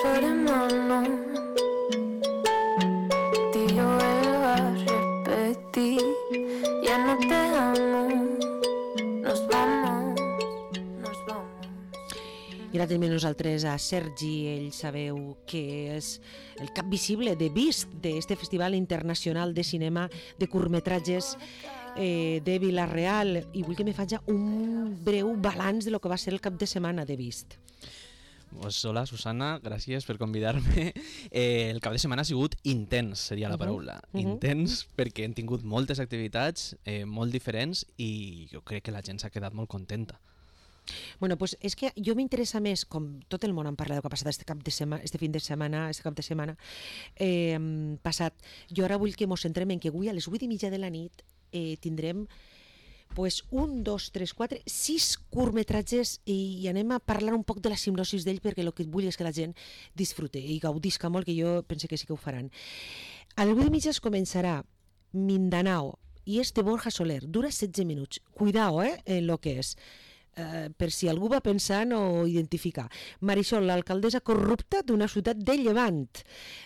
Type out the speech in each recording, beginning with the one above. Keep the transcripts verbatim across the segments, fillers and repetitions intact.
queremos, tío, él va a repetir, ya no te amo, nos vamos, nos vamos. I ara tenim nosaltres a Sergi, ell sabeu que és el cap visible de Vist, d'este Festival Internacional de Cinema de Curtmetratges eh, de Vila-real, i vull que me faci un breu balanç de lo que va ser el cap de setmana de Vist. Pues hola Susana, gràcies per convidar-me. Eh, el cap de setmana ha sigut intens, seria la paraula. Uh -huh. Intens perquè hem tingut moltes activitats eh, molt diferents i jo crec que la gent s'ha quedat molt contenta. Bueno, pues és que jo m'interessa més, com tot el món en parla del que ha passat este cap de setmana, este fin de setmana, este cap de setmana eh, passat. Jo ara vull que mos centrem en que avui a les vuit i mitja de la nit eh, tindrem pues un, dos, tres, quatre, sis curtmetratges i, i anem a parlar un poc de la simnosis d'ell perquè el que vull és que la gent disfrute i gaudisca molt, que jo pense que sí que ho faran. A les vuit i mitja es començarà Mindanao i és de Borja Soler, dura setze minuts. Cuidao, eh, en lo que és. Uh, per si algú va pensant o identificar. Marisol, l'alcaldessa corrupta d'una ciutat de Llevant.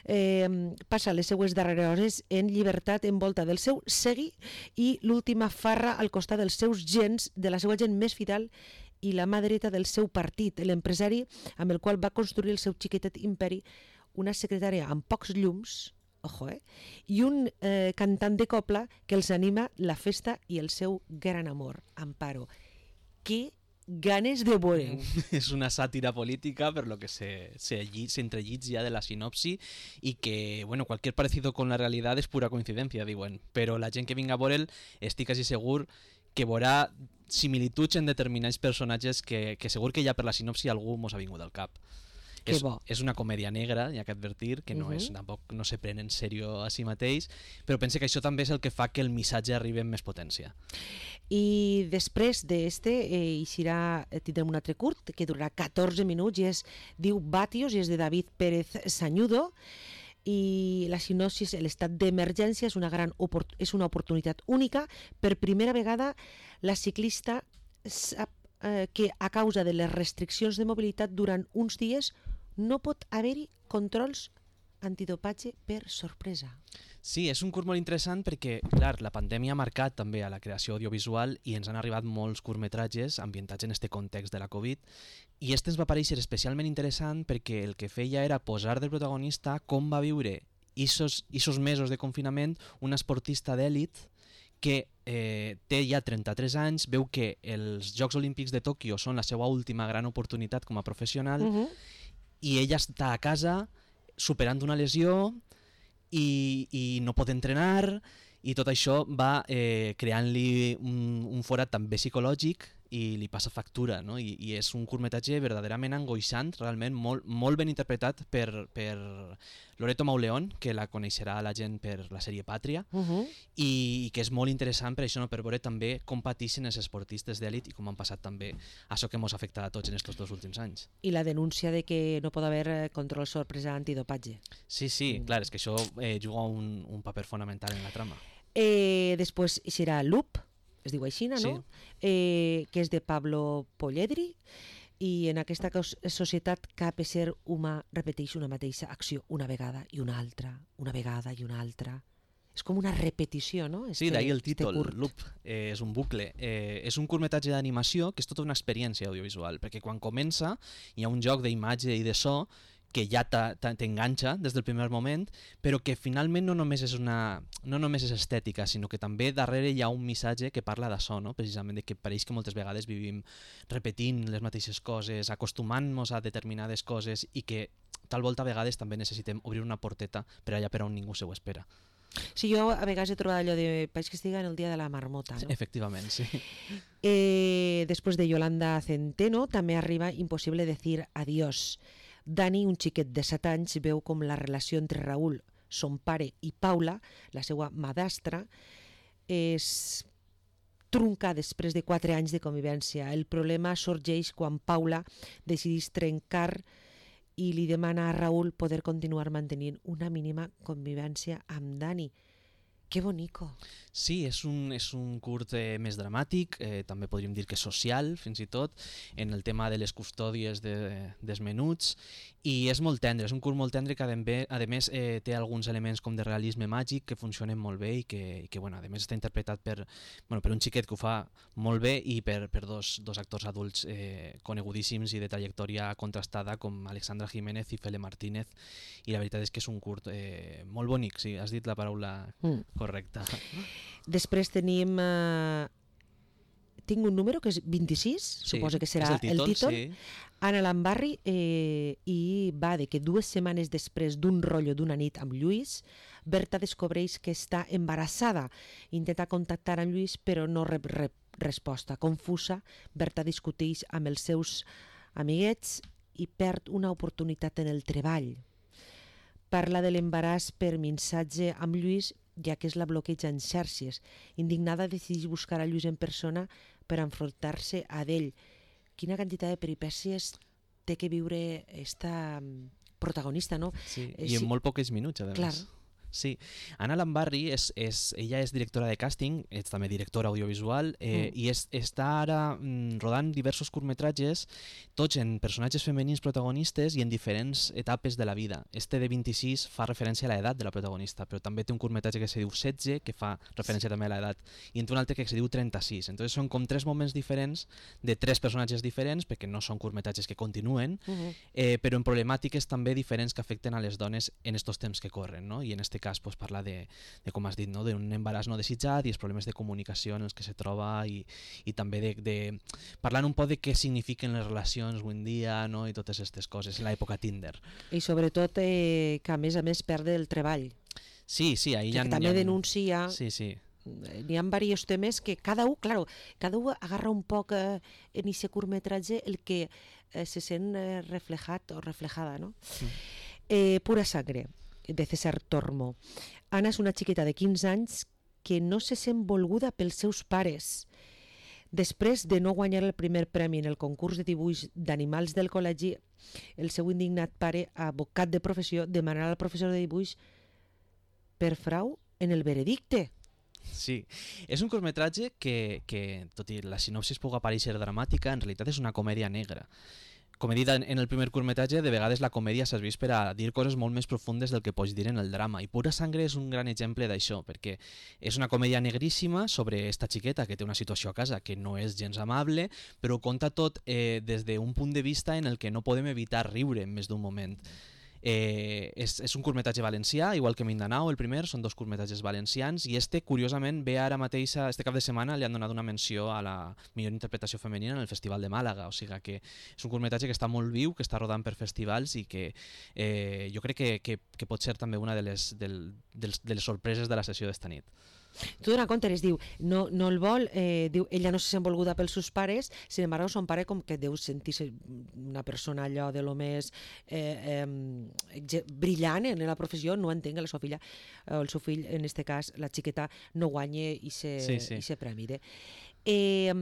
Eh, passa les seues darreres hores en llibertat envolta del seu segui i l'última farra al costat dels seus gens, de la seva gent més fidel i la mà dreta del seu partit, l'empresari amb el qual va construir el seu xiquetet imperi, una secretària amb pocs llums, ojo, eh, i un eh, cantant de copla que els anima la festa i el seu gran amor, Amparo. Què ganes de veure. És una sàtira política per lo que se, se, se entrellits ja de la sinopsi i que, bueno, cualquier parecido con la realidad és pura coincidència, diuen, però la gent que vinga a veure'l estic quasi segur que veurà similituds en determinats personatges que, que segur que ja per la sinopsi algú mos ha vingut al cap. Que és, bo. és una comèdia negra, hi ha que advertir, que no, uh-huh. és, tampoc no se pren en sèrio a si mateix, però pense que això també és el que fa que el missatge arribi amb més potència. I després d'este eh, eixirà, tindrem un altre curt que durarà catorze minuts i es diu Batios i és de David Pérez Sañudo i la sinopsis, l'estat d'emergència és una gran opor- és una oportunitat única. Per primera vegada la ciclista sap eh, que a causa de les restriccions de mobilitat durant uns dies no pot haver-hi controls antidopatge per sorpresa. Sí, és un curt molt interessant perquè, clar, la pandèmia ha marcat també a la creació audiovisual i ens han arribat molts curtmetratges ambientats en este context de la Covid i este ens va parèixer especialment interessant perquè el que feia era posar de protagonista com va viure isos, isos mesos de confinament una esportista d'èlit que eh, té ja trenta-tres anys, veu que els Jocs Olímpics de Tòquio són la seva última gran oportunitat com a professional uh-huh. i ella està a casa superant una lesió i, i no pot entrenar i tot això va eh, creant-li un, un forat també psicològic i li passa factura, no? I, i és un curtmetratge verdaderament angoixant, realment molt, molt ben interpretat per, per Loreto Mauleón, que la coneixerà la gent per la sèrie Pàtria, uh-huh. i, i que és molt interessant per això, no? Per veure també com pateixen els esportistes d'èlit i com han passat també això que ens ha afectat a tots en aquests dos últims anys. I la denúncia de que no pot haver control sorpresa antidopatge. Sí, sí, mm. clar, és que això eh, juga un, un paper fonamental en la trama. Eh, després serà Loop, es diu així, no? Sí. Eh, que és de Pablo Polledri i en aquesta societat cap ésser humà repeteix una mateixa acció una vegada i una altra, una vegada i una altra. És com una repetició, no? Este, sí, d'ahir el títol, este Loop, eh, és un bucle. Eh, és un curtmetratge d'animació que és tota una experiència audiovisual, perquè quan comença hi ha un joc d'imatge i de so que ja t'enganxa des del primer moment, però que finalment no només és una no només és estètica, sinó que també darrere hi ha un missatge que parla d'això, no? Precisament de que pareix que moltes vegades vivim repetint les mateixes coses, acostumant-nos a determinades coses i que tal volta a vegades també necessitem obrir una porteta per allà per on ningú se ho espera. Sí, jo a vegades he trobat allò de país que estiga en el dia de la marmota, no? Efectivament, sí. Eh, després de Yolanda Centeno també arriba Impossible decir adiós. Dani, un xiquet de set anys, veu com la relació entre Raúl, son pare, i Paula, la seva madastra, és trunca després de quatre anys de convivència. El problema sorgeix quan Paula decideix trencar i li demana a Raúl poder continuar mantenint una mínima convivència amb Dani. Que bonico. Sí, és un, és un curt eh, més dramàtic, eh, també podríem dir que social, fins i tot, en el tema de les custòdies de, dels menuts, i és molt tendre, és un curt molt tendre que a més eh, té alguns elements com de realisme màgic que funcionen molt bé i que, i que bueno, a més està interpretat per, bueno, per un xiquet que ho fa molt bé i per, per dos, dos actors adults eh, conegudíssims i de trajectòria contrastada com Alexandra Jiménez i Fele Martínez, i la veritat és que és un curt eh, molt bonic, sí, has dit la paraula mm. correcta. Després tenim... Eh, tinc un número que és vint-i-sis, sí, suposo que serà el títol. El títol. Sí. Anna Lambarri, eh, i va de que dues setmanes després d'un rotllo d'una nit amb Lluís, Berta descobreix que està embarassada. Intenta contactar amb Lluís però no rep, rep resposta. Confusa, Berta discuteix amb els seus amiguets i perd una oportunitat en el treball. Parla de l'embaràs per missatge amb Lluís, ja que es la bloqueja en xarxes. Indignada, decideix buscar a Lluís en persona per enfrontar-se a ell. Quina quantitat de peripècies té que viure esta protagonista, no? Sí, i en molt pocs minuts, a més. Clar. Sí, Anna Lambarri, és, és, ella és directora de càsting, és també directora audiovisual, eh, mm. i és, està ara mm, rodant diversos curtmetratges, tots en personatges femenins protagonistes i en diferents etapes de la vida. Este de vint-i-sis fa referència a l'edat de la protagonista, però també té un curtmetratge que se diu setze, que fa referència també a l'edat, i en té un altre que se diu trenta-sis. Entonces són com tres moments diferents de tres personatges diferents, perquè no són curtmetratges que continuen, mm-hmm. eh, però en problemàtiques també diferents que afecten a les dones en estos temps que corren, no? I en este cas pues, parla de, de, com has dit, no? d'un embaràs no desitjat i els problemes de comunicació en els que se troba i, i també de, de parlant un poc de què signifiquen les relacions avui en dia, no? I totes aquestes coses en l'època Tinder. I sobretot eh, que a més a més perde el treball. Sí, sí, ahí que ja... també ha... denuncia... Sí, sí. N'hi ha diversos temes que cada un, claro, cada un agarra un poc eh, en aquest curtmetratge el que eh, se sent eh, reflejat o reflejada, no? Mm. Eh, Pura sangre, de César Tormo. Anna és una xiqueta de quinze anys que no se sent volguda pels seus pares. Després de no guanyar el primer premi en el concurs de dibuix d'animals del col·legi, el seu indignat pare, advocat de professió, demanarà al professor de dibuix per frau en el veredicte. Sí, és un curtmetratge que, que, tot i la sinopsis pugui aparèixer dramàtica, en realitat és una comèdia negra. Com he dit en el primer curtmetratge, de vegades la comèdia serveix per a dir coses molt més profundes del que pots dir en el drama, i Pura sangre és un gran exemple d'això, perquè és una comèdia negríssima sobre esta xiqueta que té una situació a casa que no és gens amable, però conta tot eh, des d'un punt de vista en el que no podem evitar riure en més d'un moment. Eh, és, és un curtmetratge valencià, igual que Mindanao, el primer, són dos curtmetratges valencians, i este, curiosament, ve ara mateix, este cap de setmana, li han donat una menció a la millor interpretació femenina en el Festival de Màlaga, o sigui que és un curtmetratge que està molt viu, que està rodant per festivals i que eh, jo crec que, que, que pot ser també una de les, del, dels, de les sorpreses de la sessió d'esta nit. Tu dona compte, es diu, no, no el vol, eh, diu, ella no se sent volguda pels seus pares, sin embargo, son pare com que deu sentir-se una persona allò de lo més eh, eh, brillant en la professió, no entenc que la seva filla, o el seu fill, en este cas, la xiqueta, no guanye i se, sí, sí. i se premi. Eh,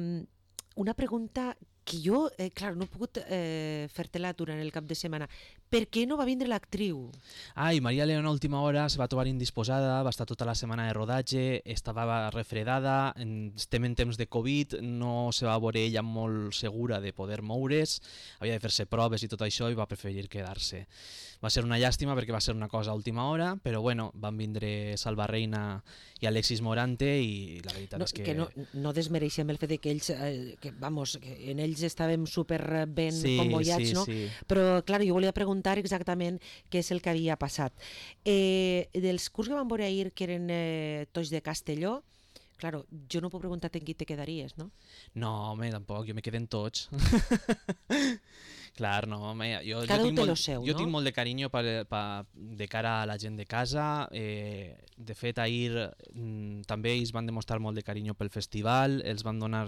una pregunta que jo, eh, clar, no he pogut eh, fer-te-la durant el cap de setmana. Per què no va vindre l'actriu? Ai, Maria Leona a última hora se va trobar indisposada, va estar tota la setmana de rodatge, estava refredada, estem en temps de Covid, no se va veure ella molt segura de poder moure's, havia de fer-se proves i tot això i va preferir quedar-se. Va ser una llàstima perquè va ser una cosa a última hora, però bueno, van vindre Salva Reina i Alexis Morante i la veritat no, és que... que no, no desmereixem el fet de que ells, eh, que, vamos, que en ells estàvem super ben sí, convoiats, sí, no? Sí. Però, clar, jo volia preguntar exactament què és el que havia passat. Eh, dels curs que vam veure ahir, que eren eh, tots de Castelló, claro, jo no puc preguntar en qui te quedaries, no? No, home, tampoc, jo me quedé en tots. Clar, no, home, jo, Cada jo, tinc, molt, seu, jo no? tinc molt de carinyo per, per, de cara a la gent de casa, eh, de fet ahir mm, també ells van demostrar molt de carinyo pel festival, els van donar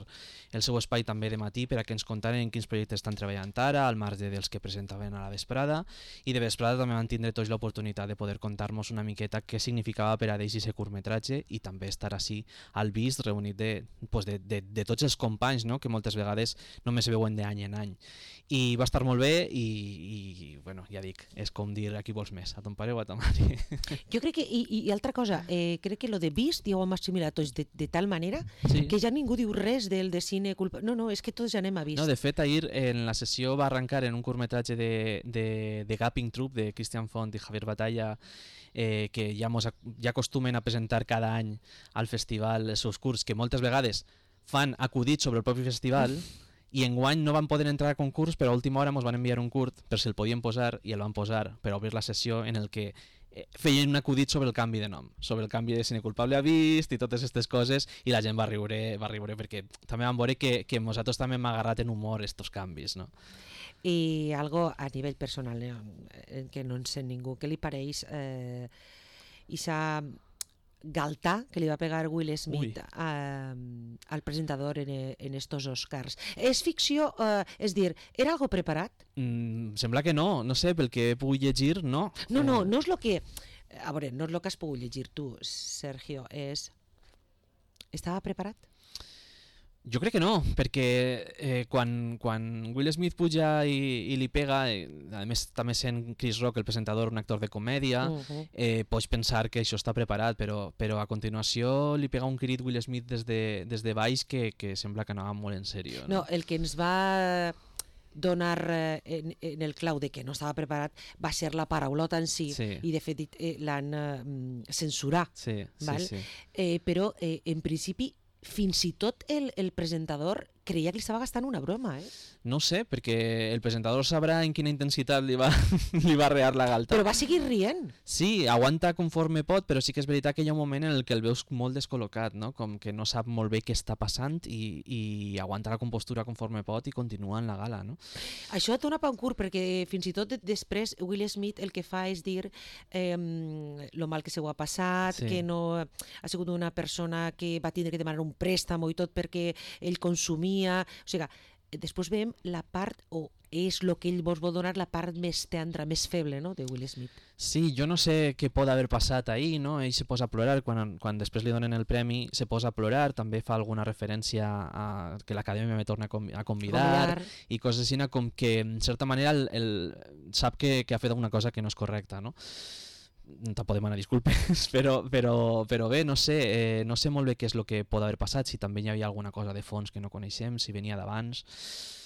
el seu espai també de matí per a que ens contaren quins projectes estan treballant ara, al marge dels que presentaven a la vesprada, i de vesprada també van tindre tots l'oportunitat de poder contar-nos una miqueta què significava per a ells aquest curtmetratge i també estar així al vist reunit de, pues de, de, de tots els companys, no? Que moltes vegades només se veuen d'any en any. I va estar molt bé i, i bueno, bueno, ja dic, és com dir a qui vols més, a ton pare o a ta mare. Jo crec que, i, i altra cosa, eh, crec que lo de Beast ja ho hem assimilat tots de, de tal manera Sí. que ja ningú diu res del de cine culpa... No, no, és que tots ja anem a Beast. No, de fet, ahir en la sessió va arrencar en un curtmetratge de, de, de Gapping Troop de Christian Font i Javier Batalla, eh, que ja, mos, ja acostumen a presentar cada any al festival els seus curts, que moltes vegades fan acudits sobre el propi festival, i enguany no van poder entrar a concurs, però a última hora ens van enviar un curt per si el podien posar, i el van posar per obrir la sessió, en el que eh, feien un acudit sobre el canvi de nom, sobre el canvi de Cine Culpable a Vist i totes aquestes coses, i la gent va riure, va riure perquè també vam veure que, que nosaltres també hem agarrat en humor estos canvis, no? I algo a nivell personal, eh, que no en sent ningú, què li pareix eh, Isa galtà que li va pegar Will Smith a, al presentador en, en estos Oscars? És ficció, eh, és dir, era algo preparat? Mm, sembla que no, no sé, pel que he pogut llegir, no. No, no, no és lo que... A veure, no és lo que has pogut llegir tu, Sergio, és... Estava preparat? Jo crec que no, perquè eh, quan, quan Will Smith puja i, i li pega, eh, a més també sent Chris Rock el presentador, un actor de comèdia, uh -huh. eh, pots pensar que això està preparat, però, però a continuació li pega un crit Will Smith des de, des de baix que, que sembla que anava molt en sèrio. No? No, el que ens va donar eh, en, en el clau de que no estava preparat va ser la paraulota en si, Sí. i de fet eh, l'han eh, censurat, Sí, sí, val? sí. Eh, però eh, en principi fins i tot el, el presentador creia que li estava gastant una broma, eh? No ho sé, perquè el presentador sabrà en quina intensitat li va, li va rear la galta. Però va seguir rient. Sí, aguanta conforme pot, però sí que és veritat que hi ha un moment en el que el veus molt descol·locat, no? Com que no sap molt bé què està passant i, i aguanta la compostura conforme pot i continua en la gala, no? Això et dona pa un curt, perquè fins i tot després Will Smith el que fa és dir eh, lo mal que se ho ha passat, Sí. que no ha sigut una persona que va tindre que demanar un préstamo i tot perquè ell consumia. O sigui, després veiem la part, o és el que ell vos vol donar, la part més tendra, més feble, no?, de Will Smith. Sí, jo no sé què pot haver passat ahir, no? Ell se posa a plorar, quan, quan després li donen el premi se posa a plorar, també fa alguna referència a que l'acadèmia me torna a convidar, a convidar i coses així, com que en certa manera el, el, sap que, que ha fet alguna cosa que no és correcta, no? Tampoc demana disculpes, però, però, però bé, no sé, eh, no sé molt bé què és el que pot haver passat, si també hi havia alguna cosa de fons que no coneixem, si venia d'abans.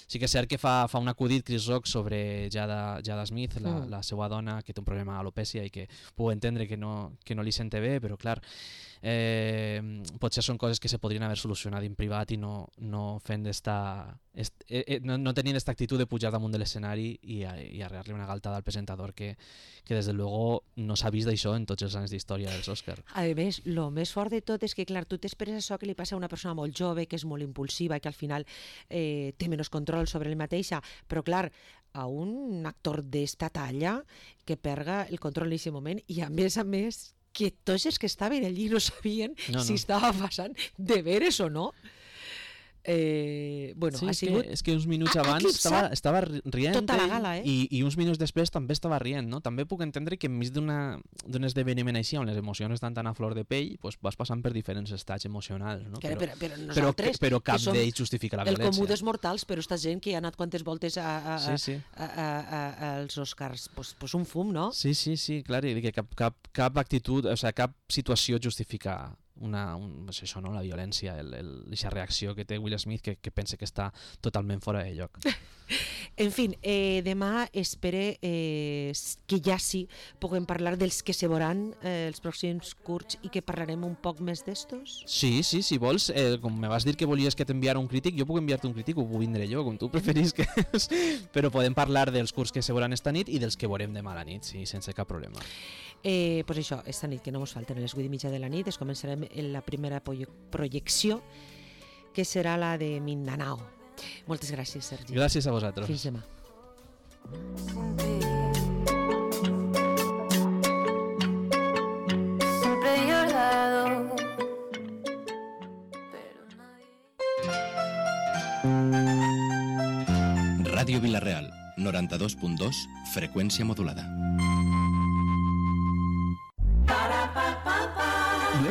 Sí que és cert que fa, fa un acudit Chris Rock sobre Jada, Jada Smith, la, Mm. la seva dona, que té un problema d'alopècia i que puc entendre que no, que no li sente bé, però clar, eh, potser són coses que se podrien haver solucionat en privat i no, no fent d'esta... Eh, eh, no, no tenint aquesta actitud de pujar damunt de l'escenari i, i arrear-li una galtada al presentador que, que des de luego no s'ha vist d'això en tots els anys d'història dels Oscars. A més, el més fort de tot és que, clar, tu t'esperes això que li passa a una persona molt jove, que és molt impulsiva i que al final eh, té menys control sobre ell mateixa, però clar, a un actor d'esta talla que perga el control en aquest moment i a més a més que tots els que estaven allí no sabien No, si no. estava passant de veres o no. Eh, bueno, Sí, ha és, sigut... que, és que uns minuts ha abans eclipsat estava, estava ri- rient tota la ell, gala, eh? i, i uns minuts després també estava rient, no? També puc entendre que enmig d'una- d'un esdeveniment així on les emocions estan tan a flor de pell, pues vas passant per diferents estats emocionals, no? Que, però, però però, nosaltres, però cap que som d'ells justifica la el violència. comú dels mortals, però esta gent que ha anat quantes voltes a, a, Sí, sí. a, a, a, a, als Oscars, pues, pues un fum, no? Sí, sí, sí, clar, i que cap, cap, cap actitud, o sigui, cap situació justifica una, un, és això, no? La violència, aquesta reacció que té Will Smith que, que pensa que està totalment fora de lloc. En fin, eh, demà espere eh, que ja sí puguem parlar dels que se veuran eh, els pròxims curts i que parlarem un poc més d'estos. Sí, sí, si vols, eh, com me vas dir que volies que t'enviara un crític, jo puc enviar-te un crític, ho puc vindre jo, com tu preferís, que és, però podem parlar dels curts que se veuran esta nit i dels que veurem demà a la nit, sí, sense cap problema. Eh, pues això, esta nit que no ens falten a les vuit i mitja de la nit, es començarem en la primera proye- projecció, que serà la de Mindanao. Moltes gràcies, Sergi. Gràcies a vosaltres. Fins demà. Sin ti. Siempre he llorado, pero nadie. Ràdio Vila-real, noranta-dos punt dos, freqüència modulada.